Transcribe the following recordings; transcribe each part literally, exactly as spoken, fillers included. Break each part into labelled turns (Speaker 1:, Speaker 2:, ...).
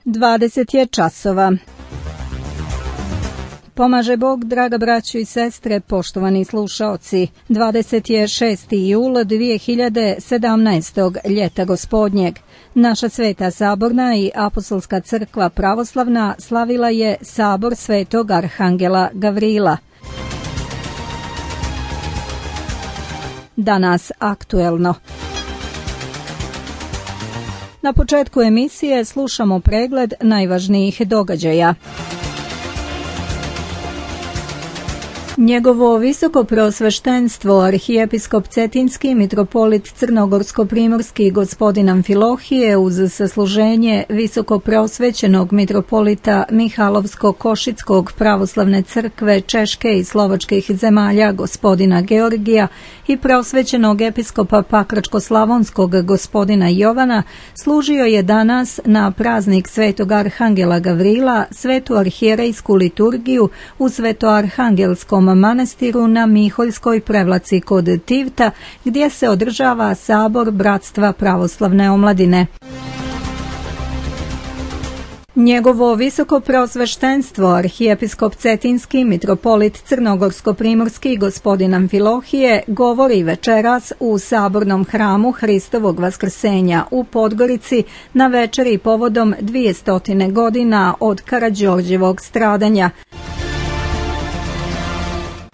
Speaker 1: dvadeset je časova. Pomaže Bog, draga braćo i sestre, poštovani slušaoci. dvadeset šestog jula dvije hiljade sedamnaestog. ljeta gospodnjeg. Naša Sveta Saborna i Apostolska crkva pravoslavna slavila je Sabor Svetog Arhangela Gavrila. Danas aktuelno. Na početku emisije slušamo pregled najvažnijih događaja. Njegovo visoko preosveštenstvo arhijepiskop Cetinski mitropolit Crnogorsko-primorski gospodin Amfilohije uz sasluženje visoko preosvećenog mitropolita Mihalovsko-Košickog pravoslavne crkve Češke i slovačkih zemalja gospodina Georgija i preosvećenog episkopa Pakračko-slavonskog gospodina Jovana služio je danas na praznik Svetog Arhangela Gavrila svetu arhijerejsku liturgiju u Svetoarhangelskom manastiru na Miholjskoj prevlaci kod Tivta, gdje se održava Sabor Bratstva pravoslavne omladine. Njegovo visoko preosveštenstvo arhijepiskop Cetinski mitropolit Crnogorsko-primorski gospodin Amfilohije govori večeras u Sabornom hramu Hristovog vaskrsenja u Podgorici na večeri povodom dvjesto godina od Karađorđevog stradanja.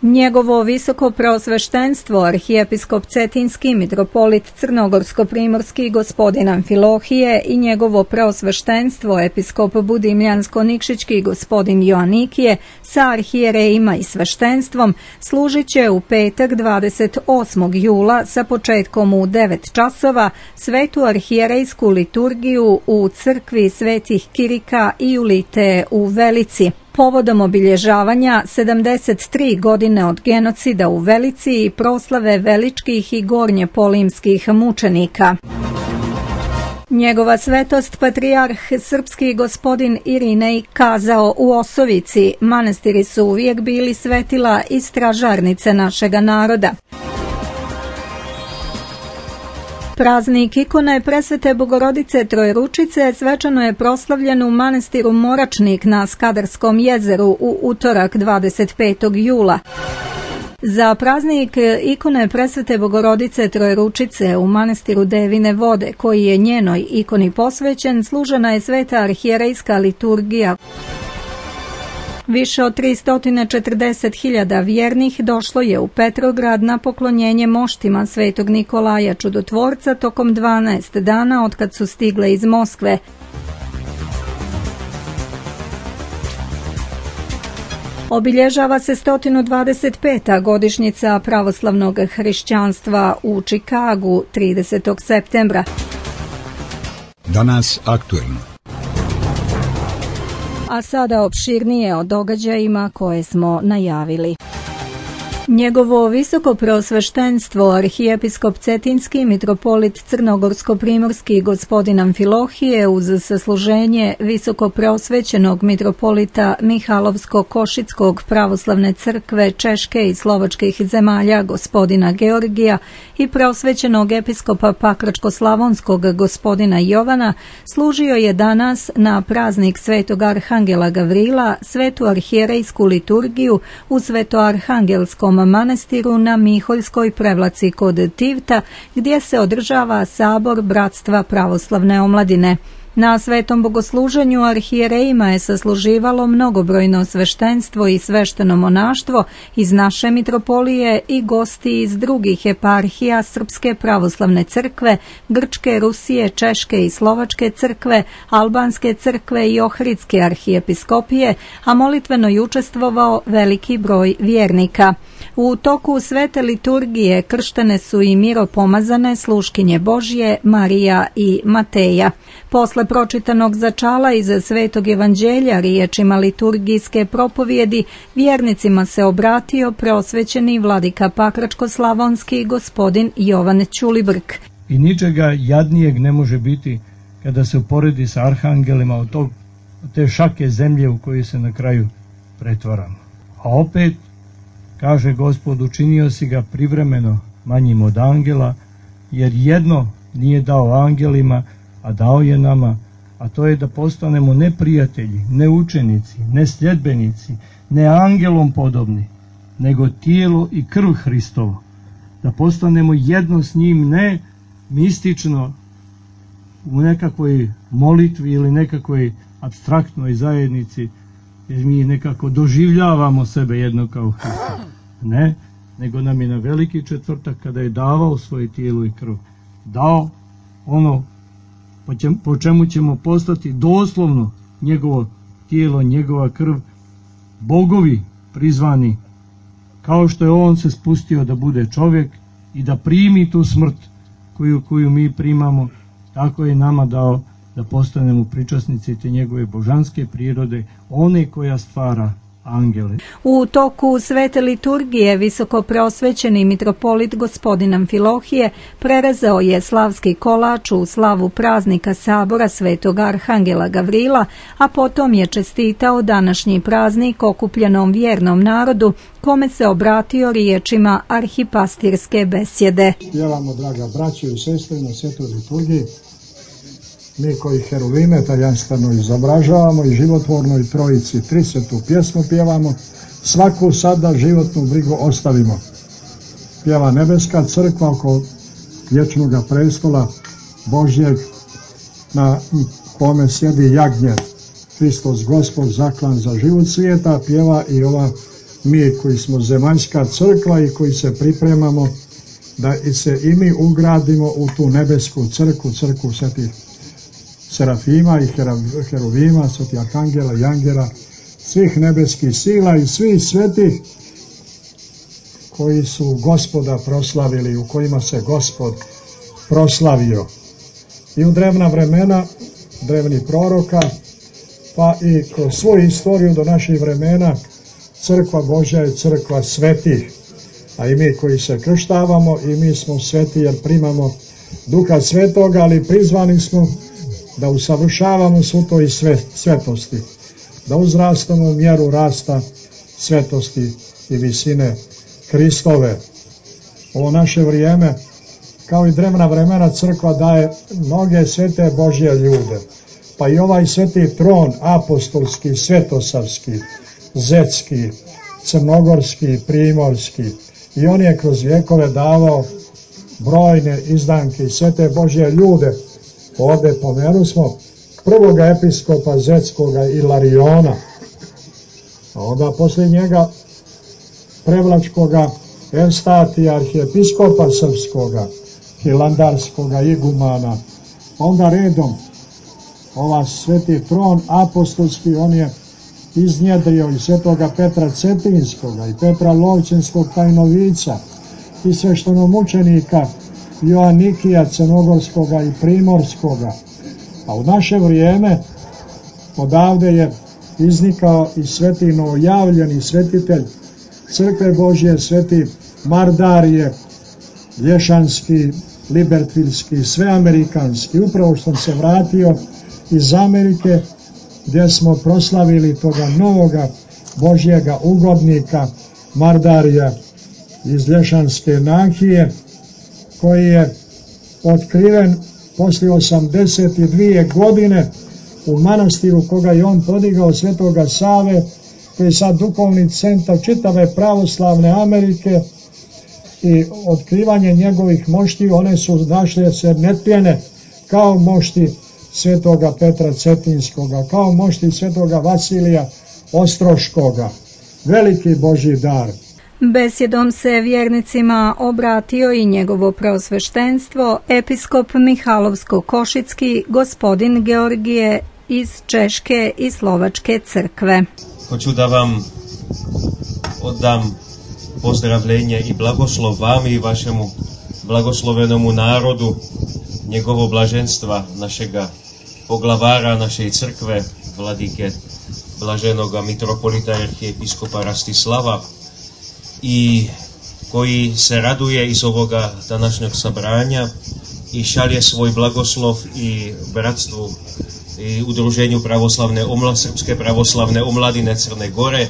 Speaker 1: Njegovo visoko preosveštenstvo arhijepiskop Cetinski mitropolit Crnogorsko-primorski gospodin Amfilohije i njegovo preosveštenstvo episkop Budimljansko-Nikšićki gospodin Joanikije sa arhijerejima i sveštenstvom služit će u petak dvadeset osmog jula sa početkom u devet časova svetu arhijerejsku liturgiju u crkvi Svetih Kirika i Julite u Velici. Povodom obilježavanja sedamdeset tri godine od genocida u Velici i proslave veličkih i gornjepolimskih mučenika. Njegova svetost patrijarh srpski gospodin Irinej kazao u Osovici: manastiri su uvijek bili svetila i stražarnice našega naroda. Praznik ikone Presvete Bogorodice Trojeručice svečano je proslavljen u manastiru Moračnik na Skadarskom jezeru u utorak dvadeset petog jula. Za praznik ikone Presvete Bogorodice Trojeručice u manastiru Devine Vode, koji je njenoj ikoni posvećen, služena je sveta arhijerejska liturgija. Više od tristo četrdeset hiljada vjernih došlo je u Petrograd na poklonjenje moštima Svetog Nikolaja Čudotvorca tokom dvanaest dana otkad su stigle iz Moskve. Obilježava se sto dvadeset peta godišnjica pravoslavnog hrišćanstva u Čikagu tridesetog septembra.
Speaker 2: Danas aktuelno.
Speaker 1: A sada opširnije o događajima koje smo najavili. Njegovo visoko preosveštenstvo arhijepiskop Cetinski mitropolit Crnogorsko-primorski gospodin Amfilohije uz sasluženje visoko preosvećenog mitropolita Mihalovsko-Košickog pravoslavne crkve Češke i slovačkih zemalja gospodina Georgija i preosvećenog episkopa Pakračko-slavonskog gospodina Jovana služio je danas na praznik Svetog Arhangela Gavrila svetu arhijerejsku liturgiju u Svetoarhangelskom manastiru na Miholjskoj prevlaci kod Tivta, gdje se održava Sabor Bratstva pravoslavne omladine. Na svetom bogosluženju arhijerejima je sasluživalo mnogobrojno sveštenstvo i svešteno monaštvo iz naše mitropolije i gosti iz drugih eparhija Srpske pravoslavne crkve, Grčke, Rusije, Češke i Slovačke crkve, Albanske crkve i Ohridske arhijepiskopije, a molitveno je učestvovao veliki broj vjernika. U toku svete liturgije krštene su i miropomazane sluškinje Božje, Marija i Mateja. Posle pročitanog začala iz Svetog evanđelja riječima liturgijske propovjedi, vjernicima se obratio preosvećeni vladika Pakračko-slavonski gospodin Jovan Ćulibrk.
Speaker 3: I ničega jadnijeg ne može biti kada se uporedi sa arhangelima od, tog, od te šake zemlje u kojoj se na kraju pretvaramo. A opet, kaže Gospod, učinio si ga privremeno manjim od angela, jer jedno nije dao angelima, a dao je nama, a to je da postanemo ne prijatelji, ne učenici, ne sljedbenici, ne angelom podobni, nego tijelo i krv Hristovo. Da postanemo jedno s njim, ne mistično u nekakvoj molitvi ili nekakvoj apstraktnoj zajednici, jer mi nekako doživljavamo sebe jedno kao Hristo. Ne, nego nam je na veliki četvrtak, kada je davao svoje tijelo i krv, dao ono po čemu ćemo postati doslovno njegovo tijelo, njegova krv, bogovi prizvani, kao što je on se spustio da bude čovjek i da primi tu smrt koju, koju mi primamo, tako je nama dao da postanemo pričasnici te njegove božanske prirode, one koja stvara angele.
Speaker 1: U toku svete liturgije visokoprosvećeni mitropolit gospodin Amfilohije prerezao je slavski kolač u slavu praznika sabora svetog arhangela Gavrila, a potom je čestitao današnji praznik okupljenom vjernom narodu, kome se obratio riječima arhipastirske besjede.
Speaker 2: Pjevamo, draga braće i sestre, na svetoj liturgiji, mi koji heruvime tajanstveno izobražavamo i životvornoj trojici tridesetu pjesmu pjevamo, svaku sada životnu brigu ostavimo. Pjeva nebeska crkva oko vječnoga prestola Božjeg, na kome sjedi jagnje, Hristos Gospod zaklan za život svijeta. Pjeva i ova mi koji smo zemaljska crkva i koji se pripremamo da se i mi ugradimo u tu nebesku crkvu, crkvu svetih serafima i heruvima, svetih arhangela i angela, svih nebeskih sila i svih svetih koji su Gospoda proslavili, u kojima se Gospod proslavio. I u drevna vremena, drevnih proroka, pa i kroz svoju istoriju do naših vremena, crkva Božja je crkva svetih, a i mi koji se krštavamo, i mi smo sveti jer primamo Duha Svetoga, ali prizvani smo da usavršavamo svu to i svetosti, da uzrastamo u mjeru rasta svetosti i visine Hristove. Ovo naše vrijeme, kao i drevna vremena, crkva daje mnoge svete Božje ljude, pa i ovaj sveti tron apostolski, svetosavski, zetski, crnogorski, primorski, i on je kroz vjekove davao brojne izdanke i svete Božje ljude. Ovdje pomeru smo prvoga episkopa zetskoga Ilariona, a onda poslije njega prevlačkoga Evstatija, arhijepiskopa srpskoga, hilandarskoga igumana. Onda redom ova sveti tron apostolski, on je iznjedrio i svetoga Petra Cetinskoga i Petra Lovćenskog tajnovica i sveštenomučenika Joanikija crnogorskoga i primorskoga. A u naše vrijeme odavde je iznikao i sveti novojavljeni svetitelj crkve Božje, sveti Mardarije, lješanski, libertvilski, sveamerikanski. Upravo što sam se vratio iz Amerike, gdje smo proslavili toga novoga Božjega ugodnika Mardarija iz lješanske Nahije, koji je otkriven poslije osamdeset dvije godine u manastiru koga je on podigao Svetoga Save, koji je sad duhovni centar čitave pravoslavne Amerike, i otkrivanje njegovih mošti, one su našle se netpjene kao mošti svetoga Petra Cetinskoga, kao mošti svetoga Vasilija Ostroškoga. Veliki Božji dar.
Speaker 1: Besjedom se vjernicima obratio i njegovo preosveštenstvo, episkop Mihalovsko-Košicki, gospodin Georgije iz Češke i Slovačke crkve.
Speaker 4: Hoću da vam oddam pozdravljenje i blagoslov vam i vašemu blagoslovenomu narodu, njegovo blaženstva, našega poglavara, naše crkve, vladike blaženoga mitropolita arhijepiskopa Rastislava, i koji se raduje iz ovoga današnjeg sabranja i šalje svoj blagoslov i bratstvu i udruženju pravoslavne omla, Srpske pravoslavne omladine Crne Gore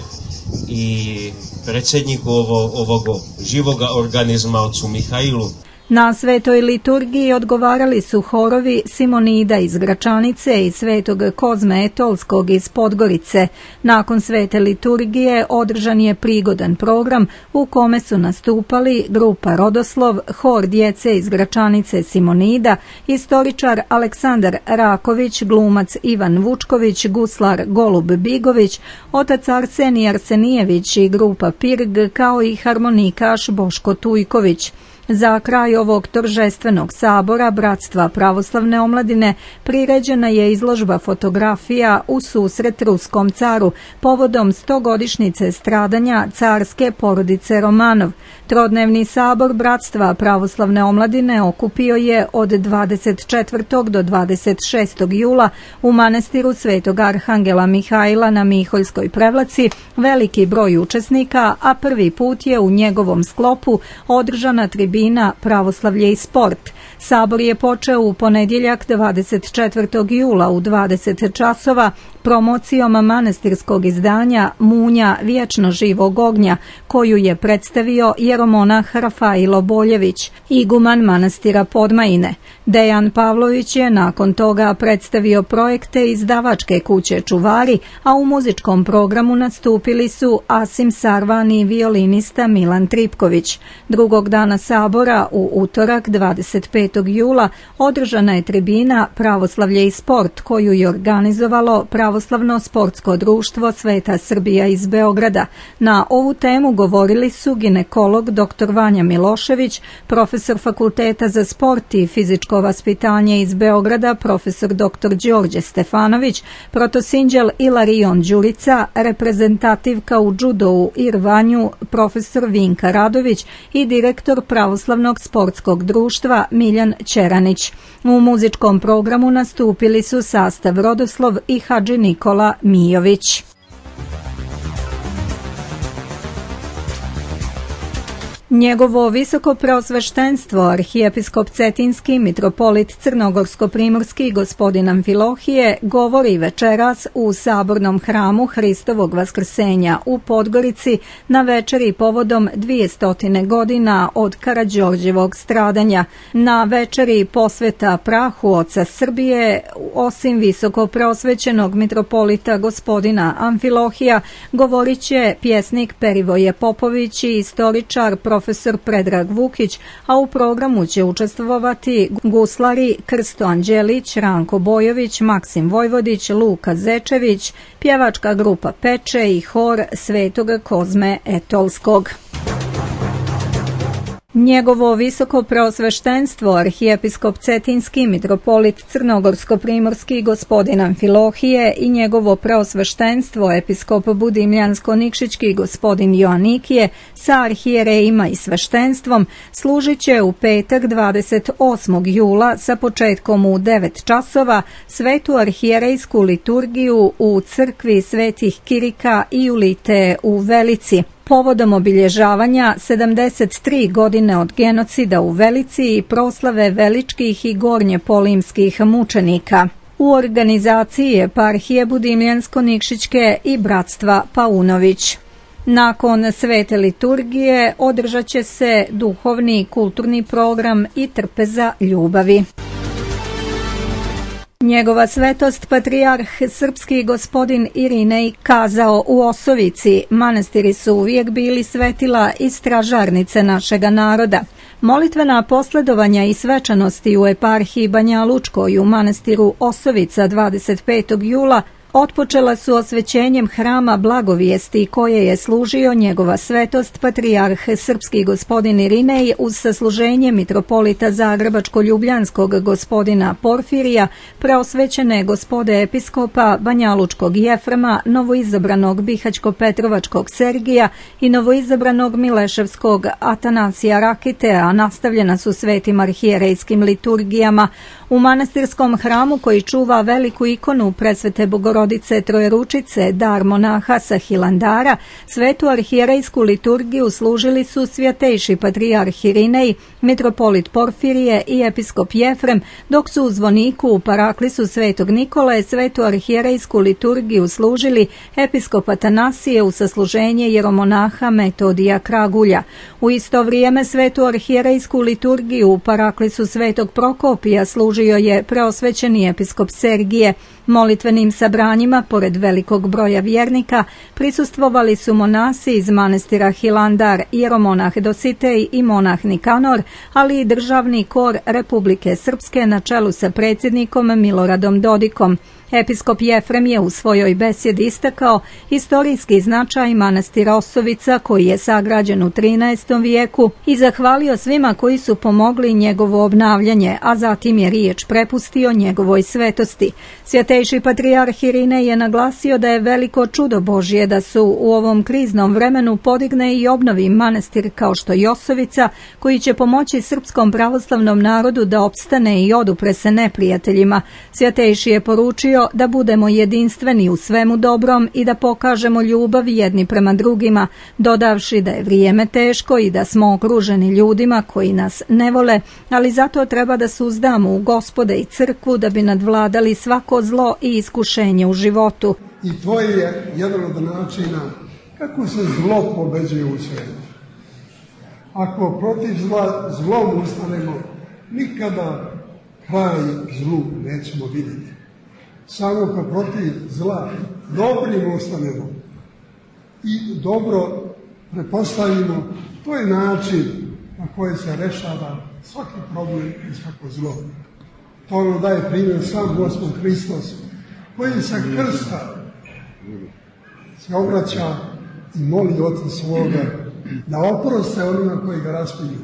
Speaker 4: i predsjedniku ovo, ovoga živoga organizma, ocu Mihajlu.
Speaker 1: Na svetoj liturgiji odgovarali su horovi Simonida iz Gračanice i Svetog Kozme Etolskog iz Podgorice. Nakon svete liturgije održan je prigodan program u kome su nastupali grupa Rodoslov, hor djece iz Gračanice Simonida, istoričar Aleksandar Raković, glumac Ivan Vučković, guslar Golub Bigović, otac Arsenij Arsenijević i grupa Pirg, kao i harmonikaš Boško Tujković. Za kraj ovog торжественog sabora Bratstva pravoslavne omladine priređena je izložba fotografija u susret ruskom caru povodom stogodišnjice stradanja carske porodice Romanov. Trodnevni sabor Bratstva pravoslavne omladine okupio je od dvadeset četvrtog do dvadeset šestog jula u manastiru Svetog Arhangela Mihajla na Miholjskoj Prevlaci veliki broj učesnika, a prvi put je u njegovom sklopu održana tribina Pravoslavlje i sport. Sabor je počeo u ponedjeljak dvadeset četvrtog jula u dvadeset časova promocijom manastirskog izdanja Munja vječno živog ognja, koju je predstavio jeromonah Rafailo Boljević, iguman manastira Podmajine. Dejan Pavlović je nakon toga predstavio projekte izdavačke kuće Čuvari, a u muzičkom programu nastupili su Asim Sarvan i violinista Milan Tripković. Drugog dana sabora, u utorak dvadeset petog jula, održana je tribina Pravoslavlje i sport, koju je organizovalo Pravoslavno sportsko društvo Sveta Srbija iz Beograda. Na ovu temu govorili su ginekolog dr Vanja Milošević, profesor Fakulteta za sport i fizičko vaspitanje iz Beograda, profesor dr Đorđe Stefanović, protosinđel Ilarion Đurica, reprezentativka u džudou i rvanju profesor Vinka Radović i direktor Pravoslavnog sportskog društva Miljan Ćeranić. U muzičkom programu nastupili su sastav Rodoslov i Hadži Nikola Mijović. Njegovo visoko preosveštenstvo arhijepiskop Cetinski mitropolit Crnogorsko-primorski gospodin Amfilohije govori večeras u sabornom hramu Hristovog vaskrsenja u Podgorici na večeri povodom dvijestotine godina od Karađorđevog stradanja. Na večeri posveta prahu oca Srbije, osim visoko preosvećenog mitropolita gospodina Amfilohija, govorit će pjesnik Perivoje Popović i istoričar profesor profesor Predrag Vukić, a u programu će učestvovati guslari Krsto Anđelić, Ranko Bojović, Maksim Vojvodić, Luka Zečević, pjevačka grupa Peče i hor Svetog Kozme Etolskog. Njegovo visoko preosveštenstvo arhijepiskop Cetinski mitropolit Crnogorsko-primorski gospodin Amfilohije i njegovo preosveštenstvo episkop Budimljansko-Nikšićki gospodin Joanikije sa arhijerejima i sveštenstvom služit će u petak dvadeset osmog jula sa početkom u devet časova svetu arhijerejsku liturgiju u crkvi Svetih Kirika i Julite u Velici, povodom obilježavanja sedamdeset tri godine od genocida u Velici i proslave veličkih i gornjepolimskih mučenika. U organizaciji eparhije Budimljansko-Nikšićke i Bratstva Paunović. Nakon svete liturgije održat će se duhovni i kulturni program i trpeza ljubavi. Njegova svetost patrijarh srpski gospodin Irinej kazao u Osovici: manastiri su uvijek bili svetila i stražarnice našega naroda. Molitvena posledovanja i svečanosti u eparhiji Banja Lučkoj u manastiru Osovica dvadeset petog jula otpočela su osvećenjem hrama Blagovijesti koje je služio njegova svetost patrijarh srpski gospodin Irinej uz sasluženje mitropolita Zagrebačko-Ljubljanskog gospodina Porfirija, preosvećene gospode episkopa Banjalučkog Jefrema, novoizabranog Bihaćko-Petrovačkog Sergija i novoizabranog Mileševskog Atanasija Rakite, a nastavljena su svetim arhijerejskim liturgijama. U manastirskom hramu koji čuva veliku ikonu presvete Bogorodice Trojeručice, dar monaha sa Hilandara, svetu arhijerejsku liturgiju služili su svjatejši patrijarh Irinej, mitropolit Porfirije i episkop Jefrem, dok su u zvoniku u paraklisu svetog Nikole svetu arhijerejsku liturgiju služili episkop Atanasije u sasluženje jeromonaha Metodija Kragulja. U isto vrijeme svetu arhijerejsku liturgiju u paraklisu svetog Prokopija služio je preosvećeni episkop Sergije. Molitvenim sabranjima, pored velikog broja vjernika, prisustvovali su monasi iz manastira Hilandar, jeromonah Dositej i monah Nikanor, ali i državni kor Republike Srpske na čelu sa predsjednikom Miloradom Dodikom. Episkop Jefrem je u svojoj besjedi istakao historijski značaj manastira Osovica, koji je sagrađen u trinaestom vijeku, i zahvalio svima koji su pomogli njegovo obnavljanje, a zatim je riječ prepustio njegovoj svetosti. Svjetejši patrijarh Irinej je naglasio da je veliko čudo Božje da su u ovom kriznom vremenu podigne i obnovi manastir kao što je Osovica, koji će pomoći srpskom pravoslavnom narodu da opstane i odupre se neprijateljima. Svjetejši je poručio da budemo jedinstveni u svemu dobrom i da pokažemo ljubav jedni prema drugima, dodavši da je vrijeme teško i da smo okruženi ljudima koji nas ne vole, ali zato treba da suzdamo u Gospode i crkvu da bi nadvladali svako zlo i iskušenje u životu.
Speaker 5: I to je jedan od načina kako se zlo pobeđuje u svijetu. Ako protiv zla, zlom ustanemo, nikada kraj zlu nećemo vidjeti. Samo kad protiv zla dobrim ustanemo i dobro prepostavimo, to je način na koji se rešava svaki problem i svako zlo. To nam daje primjer sam Gospod Hristos, koji sa krsta se obraća i moli Oca svoga da oproste onima koji ga raspinju.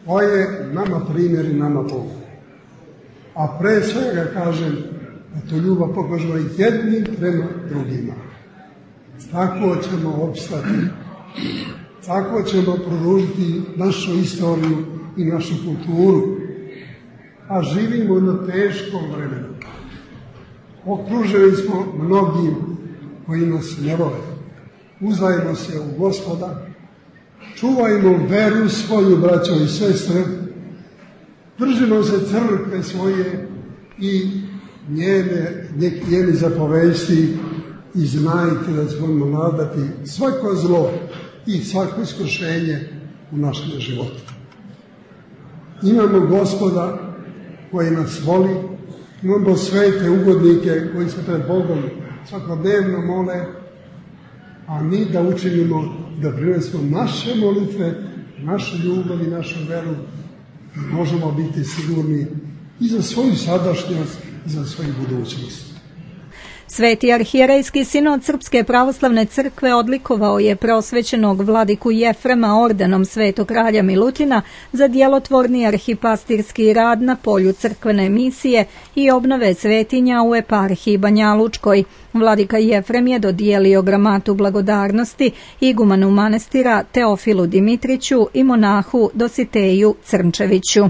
Speaker 5: To je nama primjer i nama Bog. A pre svega kažem da tu ljubav pokažemo jednim prema drugima. Tako ćemo opstati. Tako ćemo produžiti našu istoriju i našu kulturu. A živimo na teškom vremenu. Okruženi smo mnogim koji nas ne vole. Uzdajmo se u Gospoda. Čuvajmo veru svoju, braćo i sestre. Držimo se crkve svoje i njene, njeni zapovesti i znajte da ćemo nadati svako zlo i svako iskušenje u našem životu. Imamo Gospoda koji nas voli, imamo svete ugodnike koji se pred Bogom svakodnevno mole, a mi da učinimo da prinesemo naše molitve, našu ljubav i našu veru, i možemo biti sigurni i za svoju sadašnjost i za svoju budućnost.
Speaker 1: Sveti arhijerejski sinod Srpske pravoslavne crkve odlikovao je preosvećenog vladiku Jefrema ordenom Svetog kralja Milutina za djelotvorni arhipastirski rad na polju crkvene misije i obnove svetinja u eparhiji Banjalučkoj. Vladika Jefrem je dodijelio gramatu blagodarnosti igumanu manastira Teofilu Dimitriću i monahu Dositeju Crnčeviću.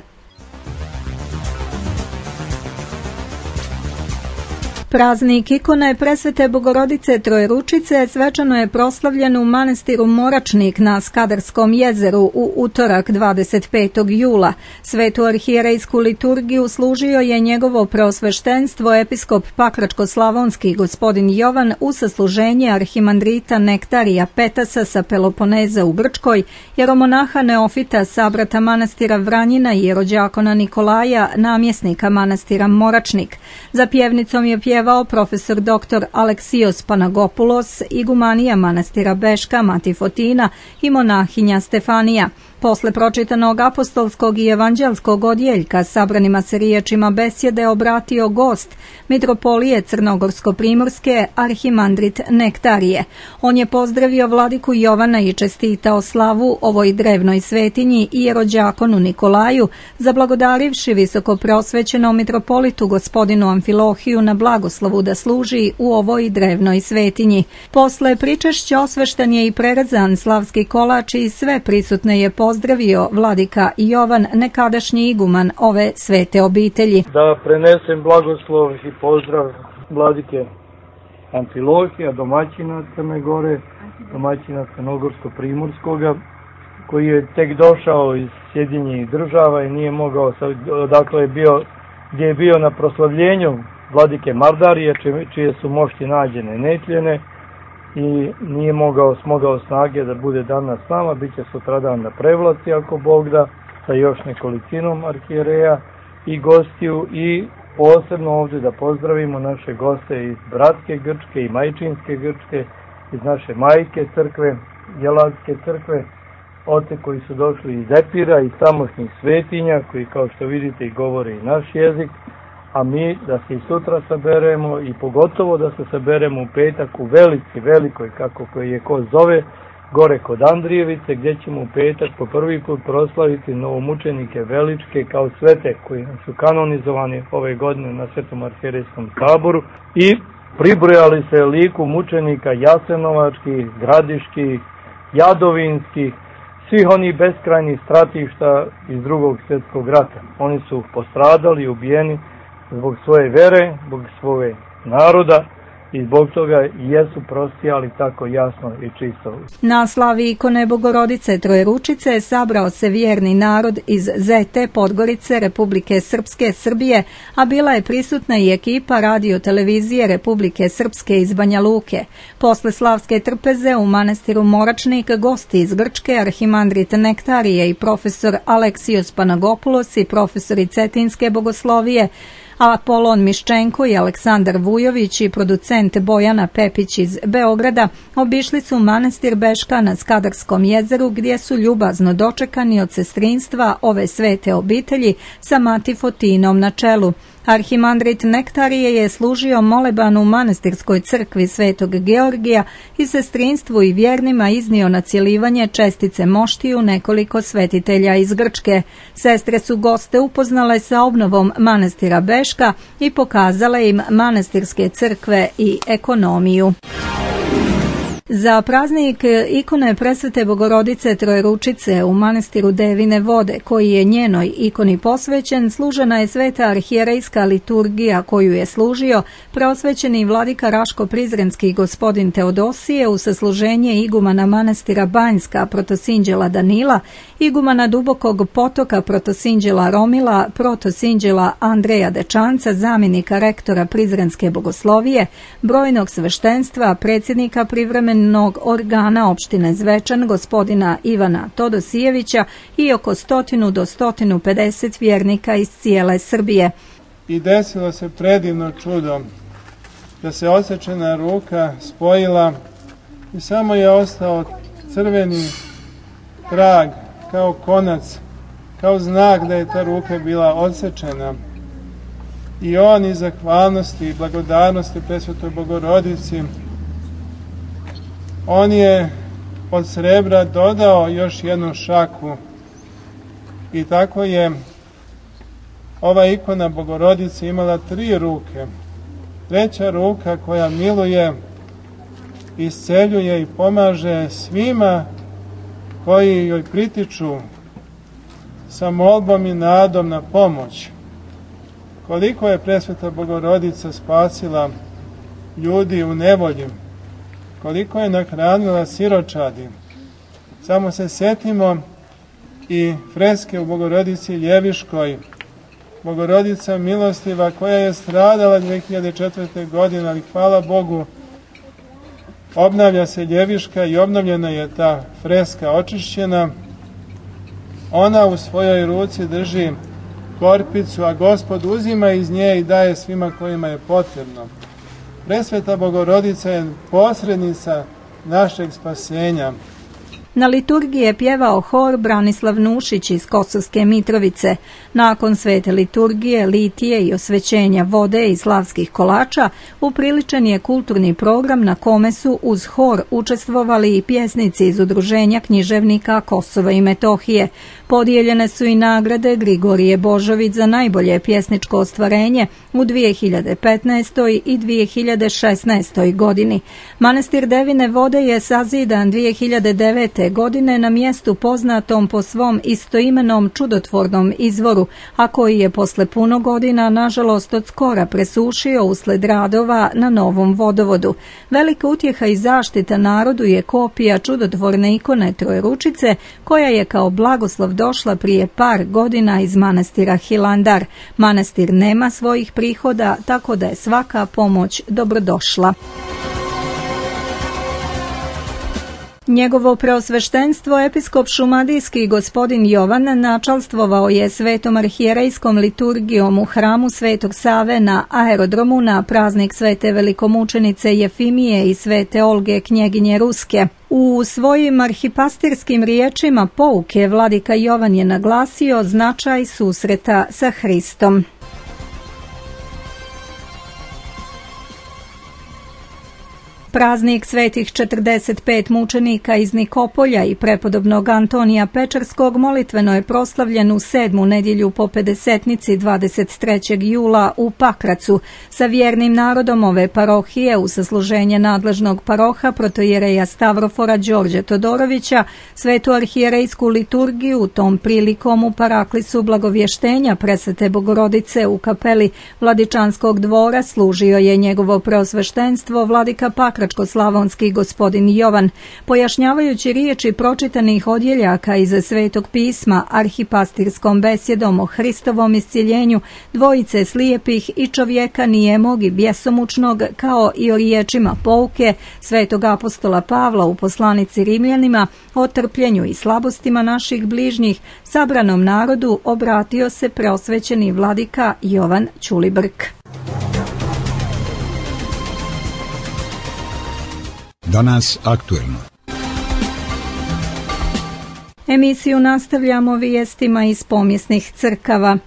Speaker 1: Praznik ikone presvete Bogorodice Trojeručice svečano je proslavljen u manastiru Moračnik na Skadarskom jezeru u utorak dvadeset petog jula. Svetu arhijerejsku liturgiju služio je njegovo preosveštenstvo episkop Pakračko-slavonski gospodin Jovan u sasluženje arhimandrita Nektarija Petasa sa Peloponeza u Brčkoj, jeromonaha Neofita sabrata manastira Vranjina i jerođakona Nikolaja, namjesnika manastira Moračnik. Za pjevnicom je pjevao profesor doktor Aleksijos Panagopulos, igumanija manastira Beška Mati Fotina i monahinja Stefanija. Posle pročitanog apostolskog i evanđelskog odjeljka sabranima se riječima besjede obratio gost mitropolije Crnogorsko-primorske arhimandrit Nektarije. On je pozdravio vladiku Jovana i čestitao slavu ovoj drevnoj svetinji i jerođakonu Nikolaju, zablagodarivši visoko preosvećenom mitropolitu gospodinu Amfilohiju na blagoslovu da služi u ovoj drevnoj svetinji. Posle pričešća osvešten je i prerezan slavski kolač i sve prisutne je pozdravio vladika Jovan, nekadašnji iguman ove svete obitelji.
Speaker 6: Da prenesem blagoslov i pozdrav vladike Amfilohija, domaćina Crne Gore, domaćina Crnogorsko-Primorskoga, koji je tek došao iz Sjedinjenih država i nije mogao, dakle je bio, gdje je bio na proslavljenju vladike Mardarije, čije su mošti nađene netljene, i nije mogao, smogao snage da bude danas s nama. Biće sutradan na Prevlaci, ako Bog da, sa još nekolicinom arhijereja i gostiju, i posebno ovdje da pozdravimo naše goste iz bratske Grčke i majčinske Grčke, iz naše majke crkve, Jeladske crkve, oce koji su došli iz Epira, iz tamošnjih svetinja, koji kao što vidite i govore i naš jezik, a mi da se i sutra saberemo i pogotovo da se saberemo u petak u Velici, velikoj, kako koji je ko zove, gore kod Andrijevice, gdje ćemo u petak po prvi put proslaviti novomučenike Veličke kao svete koji su kanonizovani ove godine na Svetom arhijerejskom saboru, i pribrojali se liku mučenika Jasenovačkih, Gradiških, Jadovinskih, svih onih beskrajnih stratišta iz drugog svjetskog rata. Oni su postradali i ubijeni zbog svoje vere, zbog svoje naroda, i zbog toga jesu prostijali tako jasno i čisto.
Speaker 1: Na slavi ikone Bogorodice Trojeručice sabrao se vjerni narod iz Zete, Podgorice, Republike Srpske, Srbije, a bila je prisutna i ekipa radio televizije Republike Srpske iz Banja Luke. Posle slavske trpeze u manastiru Moračnik gosti iz Grčke, arhimandrit Nektarije i profesor Aleksijos Panagopoulos i profesori Cetinske bogoslovije, Apolon Miščenko i Aleksandar Vujović i producent Bojana Pepić iz Beograda obišli su manastir Beška na Skadarskom jezeru, gdje su ljubazno dočekani od sestrinstva ove svete obitelji sa Mati Fotinom na čelu. Arhimandrit Nektarije je služio moleban u manastirskoj crkvi Svetog Georgija i sestrinstvu i vjernima iznio na cjelivanje čestice moštiju nekoliko svetitelja iz Grčke. Sestre su goste upoznale sa obnovom manastira Beška i pokazale im manastirske crkve i ekonomiju. Za praznik ikone Presvete Bogorodice Trojeručice u manastiru Devine Vode, koji je njenoj ikoni posvećen, služena je sveta arhijerejska liturgija koju je služio preosvećeni vladika Raško-Prizrenski gospodin Teodosije u sasluženje igumana manastira Banjska protosinđela Danila, igumana Dubokog Potoka protosinđela Romila, protosinđela Andreja Dečanca, zamjenika rektora Prizrenske bogoslovije, brojnog sveštenstva, predsjednika privremenog organa opštine Zvečan, gospodina Ivana Todosijevića, i oko stotinu do stotinu pedeset vjernika iz cijele Srbije.
Speaker 7: I desilo se predivno čudo da se osečena ruka spojila i samo je ostao crveni trag kao konac, kao znak da je ta ruka bila odsečena. I on iz zahvalnosti i blagodarnosti Presvetoj Bogorodici, on je od srebra dodao još jednu šaku, i tako je ova ikona Bogorodice imala tri ruke. Treća ruka koja miluje, isceljuje i pomaže svima koji joj pritiču sa molbom i nadom na pomoć. Koliko je Presveta Bogorodica spasila ljudi u nevolji, koliko je nahranila siročadi. Samo se sjetimo i freske u Bogorodici Ljeviškoj, Bogorodica milostiva koja je stradala dvije hiljade četvrte. godine, ali hvala Bogu obnavlja se Ljeviška i obnovljena je ta freska očišćena. Ona u svojoj ruci drži korpicu, a Gospod uzima iz nje i daje svima kojima je potrebno. Presveta Bogorodica je posrednica našeg spasenja.
Speaker 1: Na liturgiji je pjevao hor Branislav Nušić iz Kosovske Mitrovice. Nakon svete liturgije, litije i osvećenja vode i slavskih kolača, upriličen je kulturni program na kome su uz hor učestvovali i pjesnici iz Udruženja književnika Kosova i Metohije. Podijeljene su i nagrade Grigorije Božović za najbolje pjesničko ostvarenje u dvije hiljade petnaestoj i dvije hiljade šesnaestoj godini. Manastir Devine Vode je sazidan dvije hiljade devete. godine na mjestu poznatom po svom istoimenom čudotvornom izvoru, a koji je posle puno godina nažalost od skora presušio usled radova na novom vodovodu. Velika utjeha i zaštita narodu je kopija čudotvorne ikone Trojeručice, koja je kao blagoslov došla prije par godina iz manastira Hilandar. Manastir nema svojih prihoda, tako da je svaka pomoć dobrodošla. Njegovo preosveštenstvo episkop šumadijski gospodin Jovan načalstvovao je svetom arhijerejskom liturgijom u hramu Svetog Save na aerodromu na praznik svete velikomučenice Jefimije i svete Olge knjeginje Ruske. U svojim arhipastirskim riječima pouke vladika Jovan je naglasio značaj susreta sa Hristom. Praznik svetih četrdeset pet mučenika iz Nikopolja i prepodobnog Antonija Pečarskog molitveno je proslavljen u sedmu nedjelju po pedesetnici dvadeset trećeg jula u Pakracu sa vjernim narodom ove parohije u sasluženje nadležnog paroha protojereja Stavrofora Đorđe Todorovića. Svetu arhijerejsku liturgiju tom prilikom u paraklisu blagovještenja Presvete Bogorodice u kapeli Vladičanskog dvora služio je njegovo preosveštenstvo vladika Pakračko slavonski gospodin Jovan. Pojašnjavajući riječi pročitanih odjeljaka iz Svetog pisma arhipastirskom besjedom o Hristovom iscjeljenju dvojice slijepih i čovjeka nijemog i bjesomučnog, kao i o riječima pouke svetog apostola Pavla u poslanici Rimljanima o trpljenju i slabostima naših bližnjih, sabranom narodu obratio se preosvećeni vladika Jovan Ćulibrk.
Speaker 8: Danas aktuelno.
Speaker 1: Emisiju nastavljamo vijestima iz pomjesnih crkava.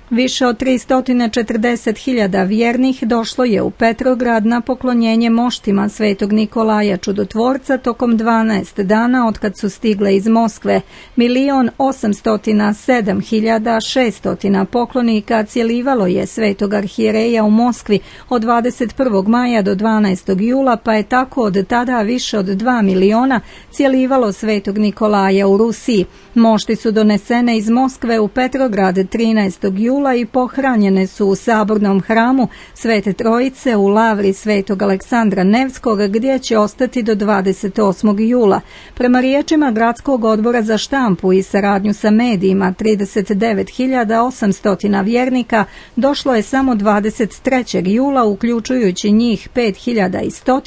Speaker 1: Više od tristo četrdeset hiljada vjernih došlo je u Petrograd na poklonjenje moštima svetog Nikolaja Čudotvorca tokom dvanaest dana otkad su stigle iz Moskve. Milion osamsto sedam hiljada šesto poklonika cjelivalo je svetog arhijereja u Moskvi od dvadeset prvog maja do dvanaestog jula, pa je tako od tada više od dva miliona cjelivalo svetog Nikolaja u Rusiji. Mošti su donesene iz Moskve u Petrograd trinaestog jula i pohranjene su u sabornom hramu Svete Trojice u lavri svetog Aleksandra Nevskog, gdje će ostati do dvadeset osmog jula. Prema riječima Gradskog odbora za štampu i saradnju sa medijima, trideset devet hiljada osamsto vjernika došlo je samo dvadeset trećeg jula, uključujući njih pet hiljada sto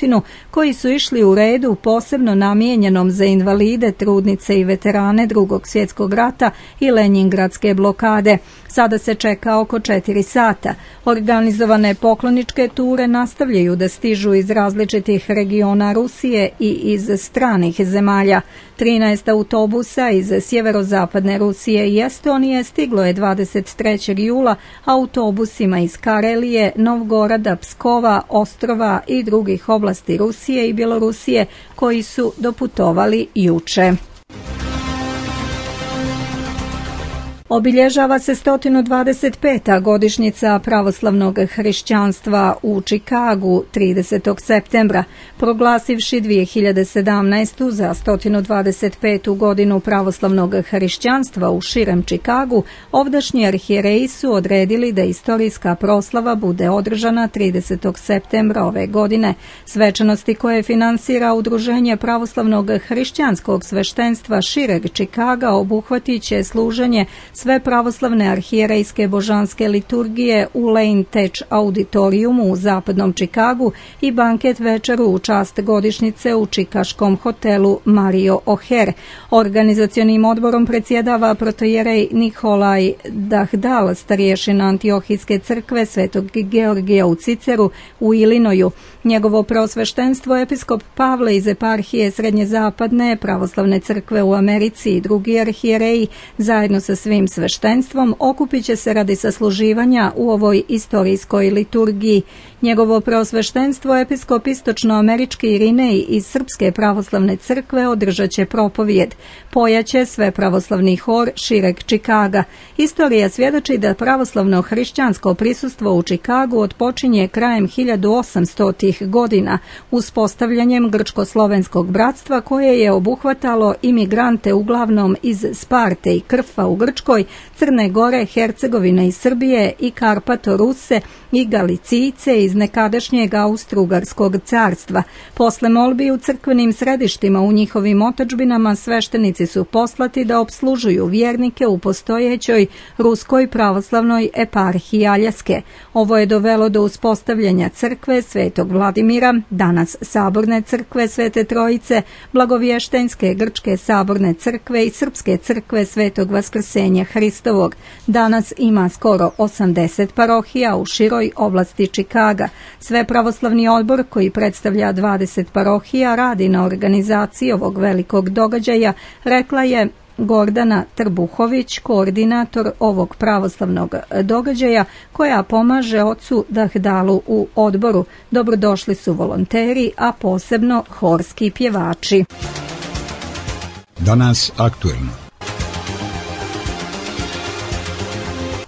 Speaker 1: koji su išli u redu posebno namijenjenom za invalide, trudnice i veterane Drugog svjetskog rata i Lenjingradske blokade. Sada se čeka oko četiri sata. Organizovane pokloničke ture nastavljaju da stižu iz različitih regiona Rusije i iz stranih zemalja. trinaest autobusa iz sjeverozapadne Rusije i Estonije stiglo je dvadeset trećeg jula autobusima iz Karelije, Novgorada, Pskova, Ostrova i drugih oblasti Rusije i Bjelorusije koji su doputovali juče. Obilježava se sto dvadeset peta godišnjica pravoslavnog hrišćanstva u Čikagu tridesetog septembra. Proglasivši dvije hiljade sedamnaestu za sto dvadeset petu godinu pravoslavnog hrišćanstva u širem Čikagu, ovdašnji arhijereji su odredili da istorijska proslava bude održana tridesetog septembra ove godine. Svečanosti koje finansira Udruženje pravoslavnog hrišćanskog sveštenstva šireg Čikaga obuhvatit će služenje sve pravoslavne arhijerejske božanske liturgije u Lane Tech auditorijumu u zapadnom Čikagu i banket večeru u čast godišnjice u čikaškom hotelu Mario O'Hare. Organizacionim odborom predsjedava protojerej Nikolaj Dahdal, starješina Antiohijske crkve Svetog Georgija u Ciceru u Ilinoju. Njegovo preosveštenstvo episkop Pavle iz eparhije Srednje zapadne pravoslavne crkve u Americi i drugi arhijereji zajedno sa svim srpskim sveštenstvom okupit će se radi sasluživanja u ovoj istorijskoj liturgiji. Njegovo preosveštenstvo, episkop istočnoamerički Irinej iz Srpske pravoslavne crkve, održat će propovijed. Pojaće sve pravoslavni hor šireg Čikaga. Istorija svjedoči da pravoslavno hrišćansko prisustvo u Čikagu otpočinje krajem hiljadu osamstotih godina uspostavljanjem grčko-slovenskog bratstva koje je obuhvatalo imigrante uglavnom iz Sparte i Krfa u Grčkoj, Crne Gore, Hercegovine i Srbije i Karpato-Ruse i Galicijce iz nekadašnjeg Austro-Ugarskog carstva. Posle molbi u crkvenim središtima u njihovim otadžbinama sveštenici su poslati da opslužuju vjernike u postojećoj Ruskoj pravoslavnoj eparhiji Aljaske. Ovo je dovelo do uspostavljanja crkve Svetog Vladimira, danas Saborne crkve Svete Trojice, Blagovještenske grčke Saborne crkve i Srpske crkve Svetog Vaskrsenja Hristovog. Danas ima skoro osamdeset parohija u široj oblasti Čikaga. Sve pravoslavni odbor koji predstavlja dvadeset parohija radi na organizaciji ovog velikog događaja, rekla je Gordana Trbuhović, koordinator ovog pravoslavnog događaja, koja pomaže ocu Dahdalu u odboru. Dobrodošli su volonteri, a posebno horski pjevači.
Speaker 8: Danas aktuelno.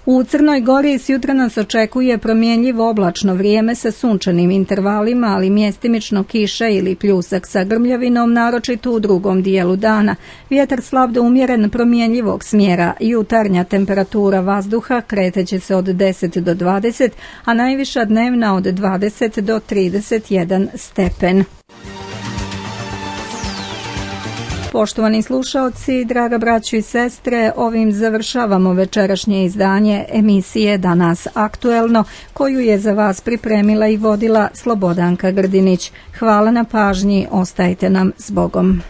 Speaker 1: U Crnoj Gori s jutra nas očekuje promjenjivo oblačno vrijeme sa sunčanim intervalima, ali mjestimično kiša ili pljusak sa grmljavinom, naročito u drugom dijelu dana. Vjetar slab do umjeren promjenjivog smjera. Jutarnja temperatura vazduha kreteće se od deset do dvadeset, a najviša dnevna od dvadeset do trideset jedan stepen. Poštovani slušaoci, draga braćo i sestre, ovim završavamo večerašnje izdanje emisije Danas aktuelno, koju je za vas pripremila i vodila Slobodanka Grdinić. Hvala na pažnji, ostajte nam s Bogom.